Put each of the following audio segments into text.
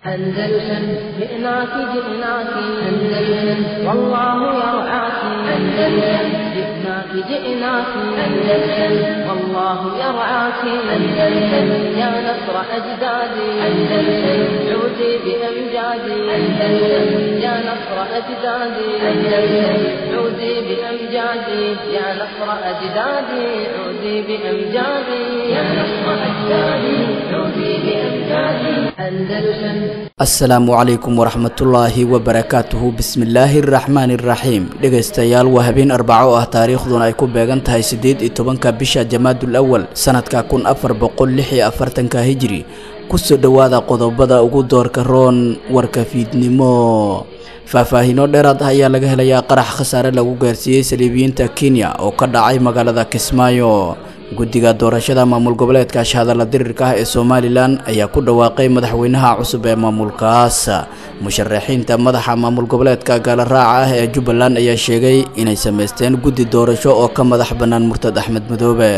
أندلسن جئناك جئناك أندلسن والله يرعاك أندلسن جئناك جئناك أندلسن والله يرعاك أندلسن يا نصر أجدادي أندلسن عودي بأمجادي أندلسن يا نصر أجدادي أندلسن عودي بأمجادي يا نصر أجدادي عودي بأمجادي يا نصر أجدادي عودي بأمجادي أندلسن. Asalaamu calaykum waraxmatullaahi wabarakaatuhu. Bismillaahi araxmaani iraxiim. Dhegaystayaal, waa habeen Arbaco ah, taariikhduna ay ku beegan tahay 18-ka bisha Jamaadul Awal sanadka 1446-ka Hijri. Kusoo dhowaada qodobada ugu doorka roon warka fiidnimo. Faahfaahiino dheeraad ah ayaa laga helayaa qarax khasaare lagu gaarsiiyey saliibiyiinta Kenya oo ka dhacay magaalada Kismaayo. Guddiga doorashada maamul goboleedka shahadala dirirka ah ee Somalilan ayaa ku dhawaaqay madaxweynaha cusub ee maamulkaas. Musharaxiinta madaxa maamul goboleedka gaalaraaca ah ee Jubbaland ayaa sheegay inay samaysteen guddi doorasho oo ka madax bannaan murtad Axmed Madoobe.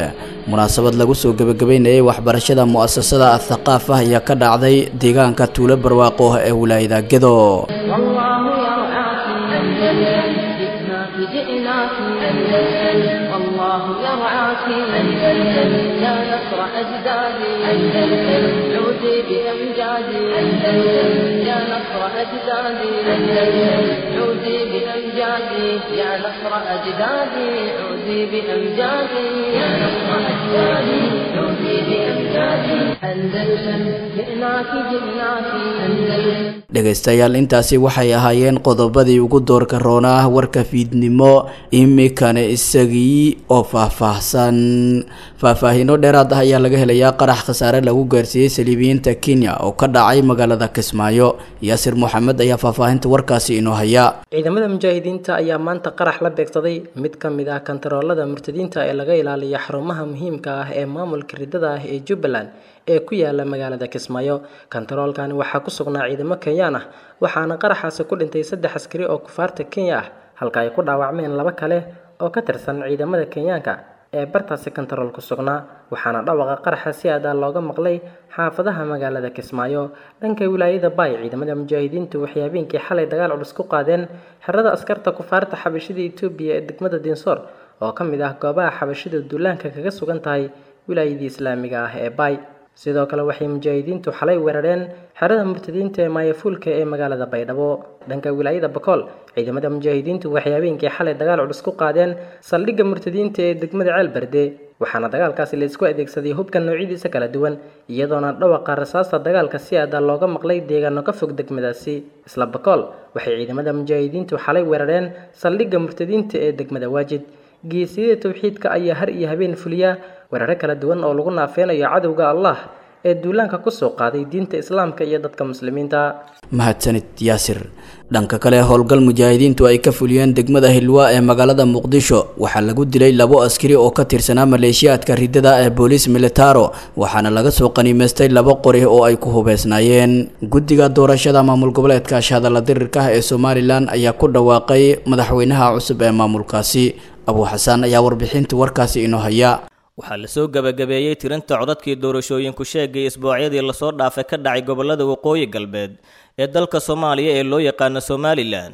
Munaasabad lagu soo gebagabeynayay waxbarashada mu'asasada Athaqaaf ah ayaa ka dhacday deegaanka Tuulo Barwaaqo ee wilaayada Gedo. والله يرعاك أندلسن جئناك جئناك أندلسن والله يرعاك أندلسن يا نصر أجدادي أندلسن عودي بأمجادي أندلسن يا نصر أجدادي أندلسن عودي بأمجادي يا نصر أجدادي عودي بأمجادي يا نصر أجدادي عودي بأمجادي أندلسن جئناك جئناك أندلسن. Dhegaystayaal, intaasi waxay ahaayeen qodobadii ugu doorka roonaa warka fiidnimo. Imikana isagii oo faahfaahsan. Faahfaahiino dheeraad ah ayaa laga helayaa qarax khasaare lagu gaarsiiyey saliibiyiinta Kenya oo ka dhacay magaalada Kismaayo. Yaasir Moxamed ayaa faahfaahinta warkaasi inoo haya. Ciidamada mujaahidiinta ayaa maanta qarax la beegsaday mid ka mid ah kantaroolada murtadiinta ee laga ilaaliyo xarumaha muhiimka ah ee maamulka ridada ah ee Jubbaland ee ku yaala magaalada Kismaayo. Kantaroolkani waxaa ku sugnaa ciidamo Kenyaan ah, waxaana qaraxaasi ku dhintay 3 askari oo kufaarta Kenya ah, halka ay ku dhaawacmeen 2 kale oo ka tirsan ciidamada Kenyaanka ee bartaasi kantarool ku sugnaa. Waxaana dhawaqa qaraxa si aad ah looga maqlay xaafadaha magaalada Kismaayo. Dhanka wilaayada Bay, ciidamada mujaahidiintu waxay habeenkii xalay dagaal culus ku qaadeen xerada askarta kufaarta xabashida Itoobiya ee degmada Dinsoor oo ka mid ah goobaha xabashida duulaanka kaga sugan tahay wilaayadii islaamiga ah ee Bay. Sidoo kale waxay mujaahidiintu xalay weerareen xerada murtadiinta ee Maayafuulka ee magaalada Baydhabo. Dhanka wilaayada Bakool, ciidamada mujaahidiintu waxay habeenkii xalay dagaal culus ku qaadeen saldhigga murtadiinta ee degmada Ceelberde, waxaana dagaalkaasi la isku adeegsaday hubka noocyadiisa kala duwan, iyadoona dhawaqa rasaasta dagaalka si aad ah looga maqlay deegaano ka fog degmadaasi. Isla Bakool, waxay ciidamada mujaahidiintu xalay weerareen saldhigga murtadiinta ee degmada Waajid. Geesiyada tawxiidka ayaa har iyo habeen fuliya weeraro kala duwan oo lagu naafeynayo cadowga Allah ee duulaanka ku soo qaaday diinta islaamka iyo dadka muslimiinta. Mahadsanid Yaasir. Dhanka kale, howlgal mujaahidiintu ay ka fuliyeen degmada Hilwa ee magaalada Muqdisho waxaa lagu dilay 2 askari oo ka tirsanaa maleeshiyaadka ridada ee booliis militaro, waxaana laga soo qaniimaystay 2 qori oo ay ku hubeysnaayeen. Guddiga doorashada maamul goboleedka shahadala dirirka ah ee Somalilan ayaa ku dhawaaqay madaxweynaha cusub ee maamulkaasi. Abu Xasan ayaa warbixinta warkaasi inoo haya. Waxaa lasoo gabagabeeyey tirinta codadkii doorashooyinku sheegay isbuucyadii lasoo dhaafay ka dhacay gobollada waqooyi galbeed ee dalka Soomaaliya ee loo yaqaano Somalilan.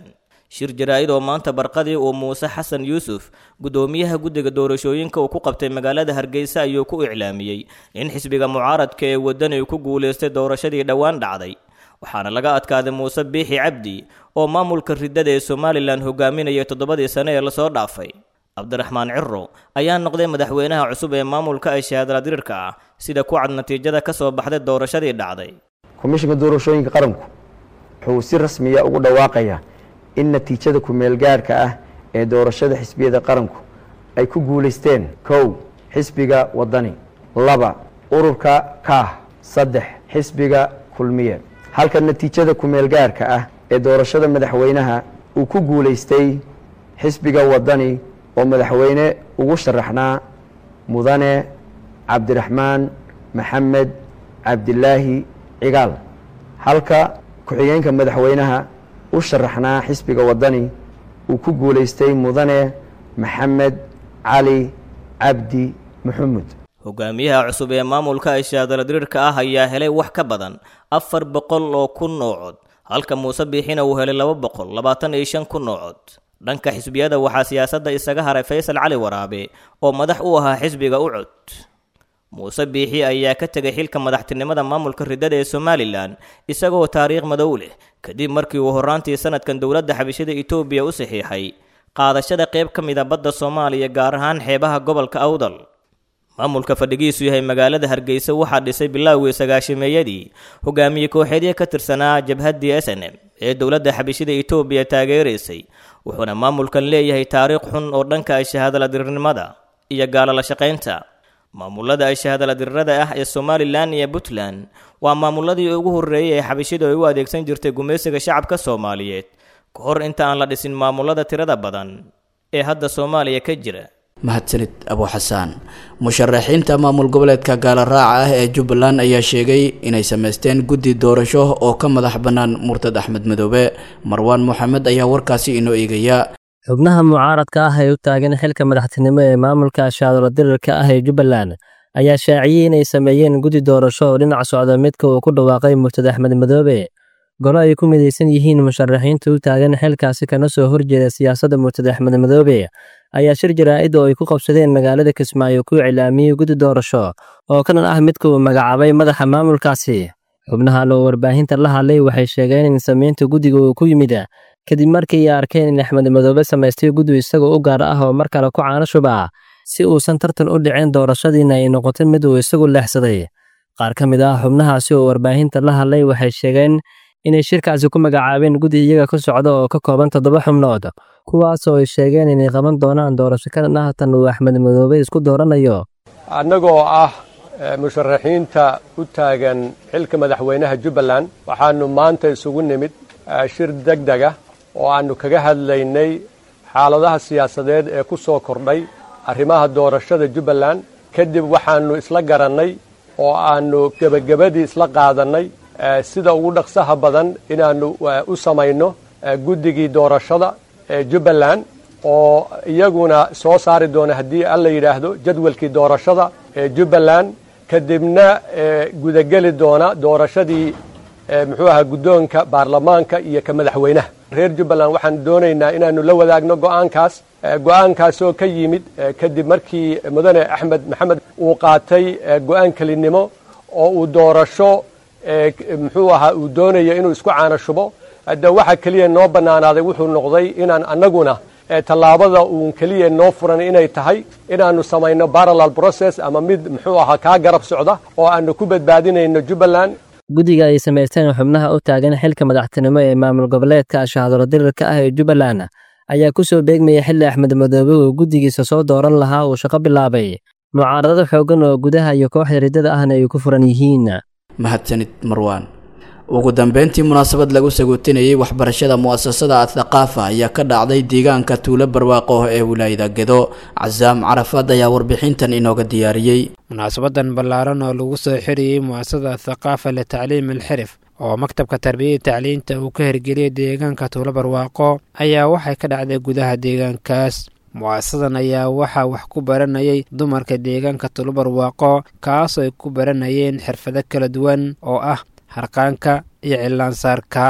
Shir jaraa'id oo maanta barqadii uu Muuse Xasan Yuusuf, guddoomiyaha guddiga doorashooyinka, uu ku qabtay magaalada Hargeysa ayuu ku iclaamiyey in xisbiga mucaaradka ee waddani ku guuleystay doorashadii dhowaan dhacday, waxaana laga adkaaday Muuse Biixi Cabdi oo maamulka riddada ee Somalilan hogaaminaya 7dii sane ee lasoo dhaafay. Cabdiraxmaan Cirro ayaa noqday madaxweynaha cusub ee maamulka ay shahaadala dirirka ah, sida ku cad natiijada ka soo baxday doorashadii dhacday. Komishinka doorashooyinka qaranku wuxuu si rasmiya ugu dhawaaqayaa in natiijada ku-meelgaarka ah ee doorashada xisbiyada qaranku ay ku guulaysteen: 1, xisbiga Wadani; 2, ururka Kaah; 3, xisbiga Kulmiye. Halka natiijada ku-meelgaarka ah ee doorashada madaxweynaha uu ku guulaystay xisbiga Wadani oo madaxweyne ugu sharaxnaa mudane Cabdiraxmaan Maxamed Cabdilaahi Cigaal, halka ku-xigeenka madaxweynaha u sharaxnaa xisbiga Wadani uu ku guulaystay mudane Maxamed Cali Cabdi Maxamuud. Hogaamiyaha cusub ee maamulka ashaadaladirirka ah ayaa helay wax ka badan 400,000 oo cod, halka Muuse Biixina uu helay 225,000 oo cod. Dhanka xisbiyada waxaa siyaasadda isaga haray Faysal Cali Waraabe oo madax u ahaa xisbiga u cod. Muuse Biixi ayaa ka tegay xilka madaxtinimada maamulka riddada ee Somalilan isagoo taariikh madow leh, kadib markii uu horraantii sanadkan dowladda xabashida Itoobiya u saxiixay qaadashada qayb ka mid a badda Soomaaliya, gaar ahaan xeebaha gobolka Awdal. Maamulka fadhigiisu yahay magaalada Hargeysa waxaa dhisay bilowgii sagaashimeeyadii hogaamiye kooxeedyo ka tirsanaa jabhaddii SNM ee dowladda xabashida Itoobiya taageeraysay, wuxuuna maamulkan leeyahay taariikh xun oo dhanka ashahaadaladirirnimada iyo gaalala shaqaynta. Maamulada ashahaadaladirirada ah ee Somalilan iyo Puntland waa maamuladii ugu horreeyay ee xabashidu ay u adeegsan jirtay gumaysiga shacabka Soomaaliyeed ka hor inta aan la dhisin maamulada tirada badan ee hadda Soomaaliya ka jira. Mahadsanid Abu Xasaan. Musharaxiinta maamul goboleedka gaala raaca ah ee Jubbaland ayaa sheegay inay sameysteen guddi doorasho oo ka madax bannaan murtad Axmed Madoobe. Marwaan Moxamed ayaa warkaasi inoo eegaya. Xubnaha mucaaradka ah ee u taagan xilka madaxtinimo ee maamulka ashaadaladirirka ah ee Jubbaland ayaa shaaciyey inay sameeyeen guddi doorasho oo dhinac socda midka uu ku dhawaaqay murtad Axmed Madoobe. Golo ay ku midaysan yihiin musharaxiinta u taagan xilkaasi kana soo horjeeda siyaasadda murtad Axmed Madoobe ayaa shir jaraa'id oo ay ku qabsadeen magaalada Kismaayo ku iclaamiyey guddi doorasho oo kanan ah midka uu magacaabay madaxa maamulkaasi. Xubnaha loo warbaahinta la hadlay waxay sheegeen in samaynta guddiga uu ku yimid kadib markii ay arkeen in Axmed Madoobe samaystay guddi isagoo u gaar ah oo mar kale ku caano shuba si uusan tartan u dhicin doorashadiina ay noqotay mid uu isagu leexsaday. Qaar ka mid ah xubnahaasi oo warbaahinta la hadlay waxay sheegeen inay shirkaasi ku magacaabeen guddi iyaga ka socda oo ka kooban 7 xubnood, kuwaas oo ay sheegeen inay qaban doonaan doorasho ka dhan ah tan uu Axmed Madoobe isku dooranayo. Annagoo ah musharaxiinta u taagan xilka madaxweynaha Jubbaland, waxaanu maanta isugu nimid shir degdeg ah oo aanu kaga hadlaynay xaaladaha siyaasadeed ee ku soo kordhay arrimaha doorashada Jubbaland. Kadib waxaanu isla garannay oo aanu gebagabadii isla qaadannay sida ugu dhaqsaha badan inaannu u samayno guddigii doorashada ee Jubbaland oo iyaguna soo saari doona haddii alla yidhaahdo jadwalkii doorashada ee Jubbaland, kadibna gudageli doona doorashadii muxuu ahaa guddoonka baarlamaanka iyo ka madaxweynaha. Reer Jubbaland waxaan doonaynaa inaannu la wadaagno go'aankaas, go'aankaasoo ka yimid kadib markii mudane Axmed Maxamed uu qaatay go'aan kelinimo oo uu doorasho muxuu ahaa uu doonayo inuu isku caano shubo. Hadda waxa keliya noo bannaanaaday wuxuu noqday inaan annaguna tallaabada uun keliya noo furan inay tahay inaannu samayno parallel process ama mid muxuu ahaa kaa garab socda oo aanu ku badbaadinayno Jubbaland. Guddiga ay samaysteen xubnaha u taagan xilka madaxtinimo ee maamul goboleedka ashaadaladirirka ah ee Jubbaland ayaa ku soo beegmaya xilli Axmed Madoobe uu guddigiisa soo dooran lahaa uu shaqo bilaabay. Mucaaradada xooggan oo gudaha iyo kooxda riddada ahna ay ku furan yihiin. Mahadsanid Marwaan. Ugu dambeyntii munaasabad lagu sagootinayay waxbarashada mu'asasada Athaqaafa ayaa ka dhacday deegaanka Tuulo Barwaaqo ee wilaayada Gedo. Casaam Carafaad ayaa warbixintan inooga diyaariyey. Munaasabadan ballaaran oo lagu soo xiriyey mu'asasada Athaqaafa litacliim alxirif oo maktabka tarbiyada tacliinta uu ka hirgeliyey deegaanka Tuulo Barwaaqo ayaa waxay ka dhacday gudaha deegaankaas. Mu'asasadan ayaa waxaa wax ku baranayay dumarka deegaanka Tuulo Barwaaqo, kaasoo ay ku baranayeen xirfado kala duwan oo ah harqaanka iyo cillaansaarka.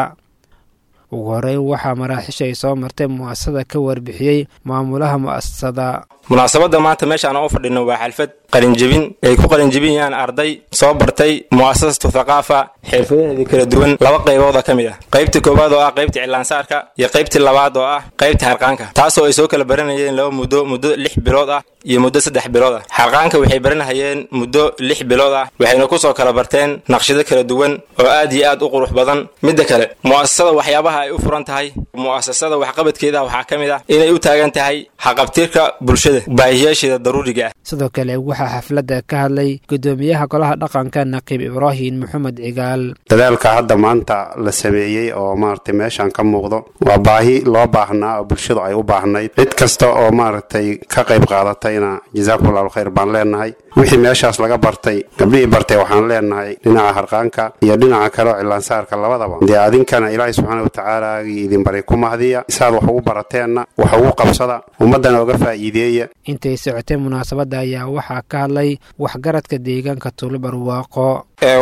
Ugu horeyn waxaa maraaxiisha ay soo martay mu'asasada ka warbixiyey maamulaha mu'asasada. Munaasabadda maanta meeshaan u fadhino waa xalfad qalinjebin ay ku qalinjebinayaan arday soo bartay mu'asasatu thaqaafa xirfadaheedii kala duwan laba qaybooda ka mid ah, qaybta koowaad oo ah qaybta cillaansaarka iyo qaybta labaad oo ah qaybta harqaanka, taasoo ay soo kala baranayeen laba muddo, muddo 6 bilood ah iyo muddo 3 bilood ah. Harqaanka waxay baranahayeen muddo 6 bilood ah, waxayna ku soo kala barteen naqshado kala duwan oo aad iyo aad u qurux badan. Midda kale, mu'asasada waxyaabaha ay u furan tahay, mu'asasada waxqabadkeeda waxaa ka mid ah inay u taagan tahay haqabtirka bulshada baahiyaasheeda daruuriga ah. Sidoo kale waxaa xafladda ka hadlay guddoomiyaha golaha dhaqanka Naqiib Ibraahim Maxamed Cigaal. Dadaalka hadda maanta la sameeyey oo maaragtay meeshaan ka muuqdo waa baahi loo baahnaa oo bulshadu ay u baahnayd. Cid kasta oo maaragtay ka qayb qaadatayna jazaakumullahu khayr baan leenahay. Wixii meeshaas laga bartay, gabdhihii bartay waxaan leenahay dhinaca harqaanka iyo dhinaca kale oo cillaansaarka labadaba, dee adinkana Ilaahay subxaana watacaala idin baray ku mahdiya, saad wax ugu barateenna wax ugu qabsada, ummaddana uga faa'iideeya. Intay socotay munaasabadda ayaa waxaa ka hadlay waxgaradka deegaanka Tuulo Barwaaqo.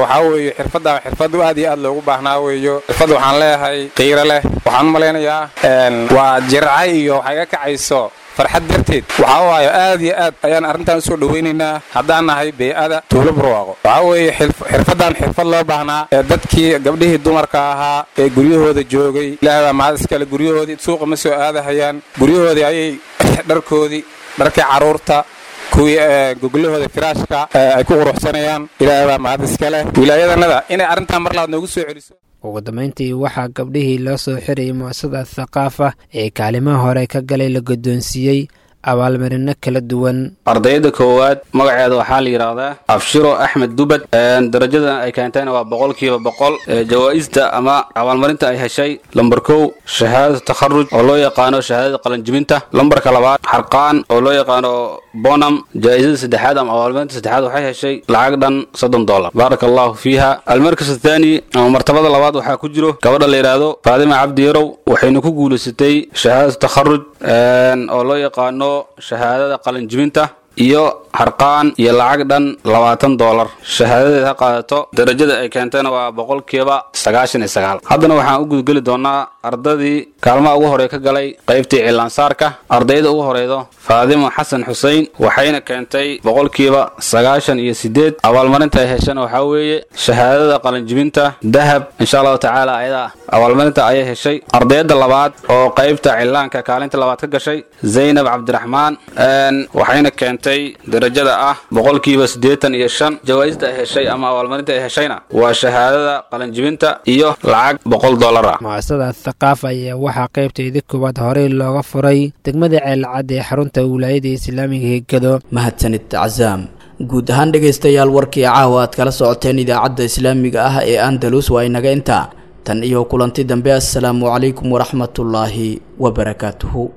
Waxaa weeye xirfadda xirfad aad iyo aad loogu baahnaa weeyo. Xirfad waxaan leeyahay qiiro leh. Waxaan u malaynayaa waa jircay iyo waxay ga kacayso farxad darteed. Waxaa waaye aad iyo aad ayaan arrintan usoo dhowaynaynaa haddaan nahay bey'ada Tuulo Barwaaqo. Waxaa weeye xirfaddan xirfad loo baahnaa ee dadkii gabdhihii dumarka ahaa ee guryahooda joogay. Ilaahay baa mahad iskale, guryahoodii suuqa ma soo aadahayaan, guryahoodii ayay dharkoodii, dharkii carruurta, kuwii goglahooda firaashka ay ku quruxsanayaan. Ilaahay baa mahad iskale wilaayadanada inay arrintan mar labaad noogu soo celiso. Ugu dambeyntii waxaa gabdhihii loo soo xirayay mu'asasada Thaqaafa ee kaalimaha hore ka galay la guddoonsiiyey abaalmarino kala duwan. Ardayda koowaad magaceeda waxaa la yidhaahdaa Abshiro Axmed Dubad. Darajada ay keentayna waa 100%. Jawaa'ista ama abaalmarinta ay heshay: lambar 1 shahaadada takharuj oo loo yaqaano shahaadada qalanjibinta, lambarka 2 xarqaan oo loo yaqaano bonam, jaa'isada saddexaad ama abaalmarinta saddexaad waxay heshay lacag dhan $30. Baaraka allahu fiiha. Almarkas athaani ama martabada labaad waxaa ku jiro gabadha la yidhaahdo Faadima Cabdi Yarow, waxayna ku guulaysatay shahaadada takharuj oo loo yaqaano shahaadada qalanjibinta iyo xarqaan iyo lacag dhan $20. Shahaadadeed ha qaadato. Darajada ay keentayna waa 99%. Haddana waxaan u gudgeli doonaa ardadii kaalmaha ugu horey ka galay qaybtii cilaansaarka. Ardayda ugu horeydo Faadimo Xasan Xusein, waxayna keentay 98%. Abaalmarinta ay heshana waxaa weeye shahaadada qalanjibinta dahab, insha allahu tacaala ayadaa abaalmarinta ayay heshay. Ardayda labaad oo qaybta cilaanka kaalinta labaad ka gashay Zaynab Cabdiraxmaan, waxayna keentay darajada ah 85%. Jawaa'ista ay heshay ama abaalmarinta ay heshayna waa shahaadada qalanjibinta iyo lacag $100 ah. Mu'asasada Thaqaafa ayaa waxaa qaybteedii koowaad horey looga furay degmada Ceelcad ee xarunta wilaayada islaamiga ee Gado. Mahadsanid Cazaam. Guud ahaan dhegaystayaal, warkii caawa aad kala socoteen idaacadda islaamiga ah ee Andalus waa inaga intaa. Tan iyo kulanti dambe, assalaamu calaykum waraxmatullaahi wabarakaatuhu.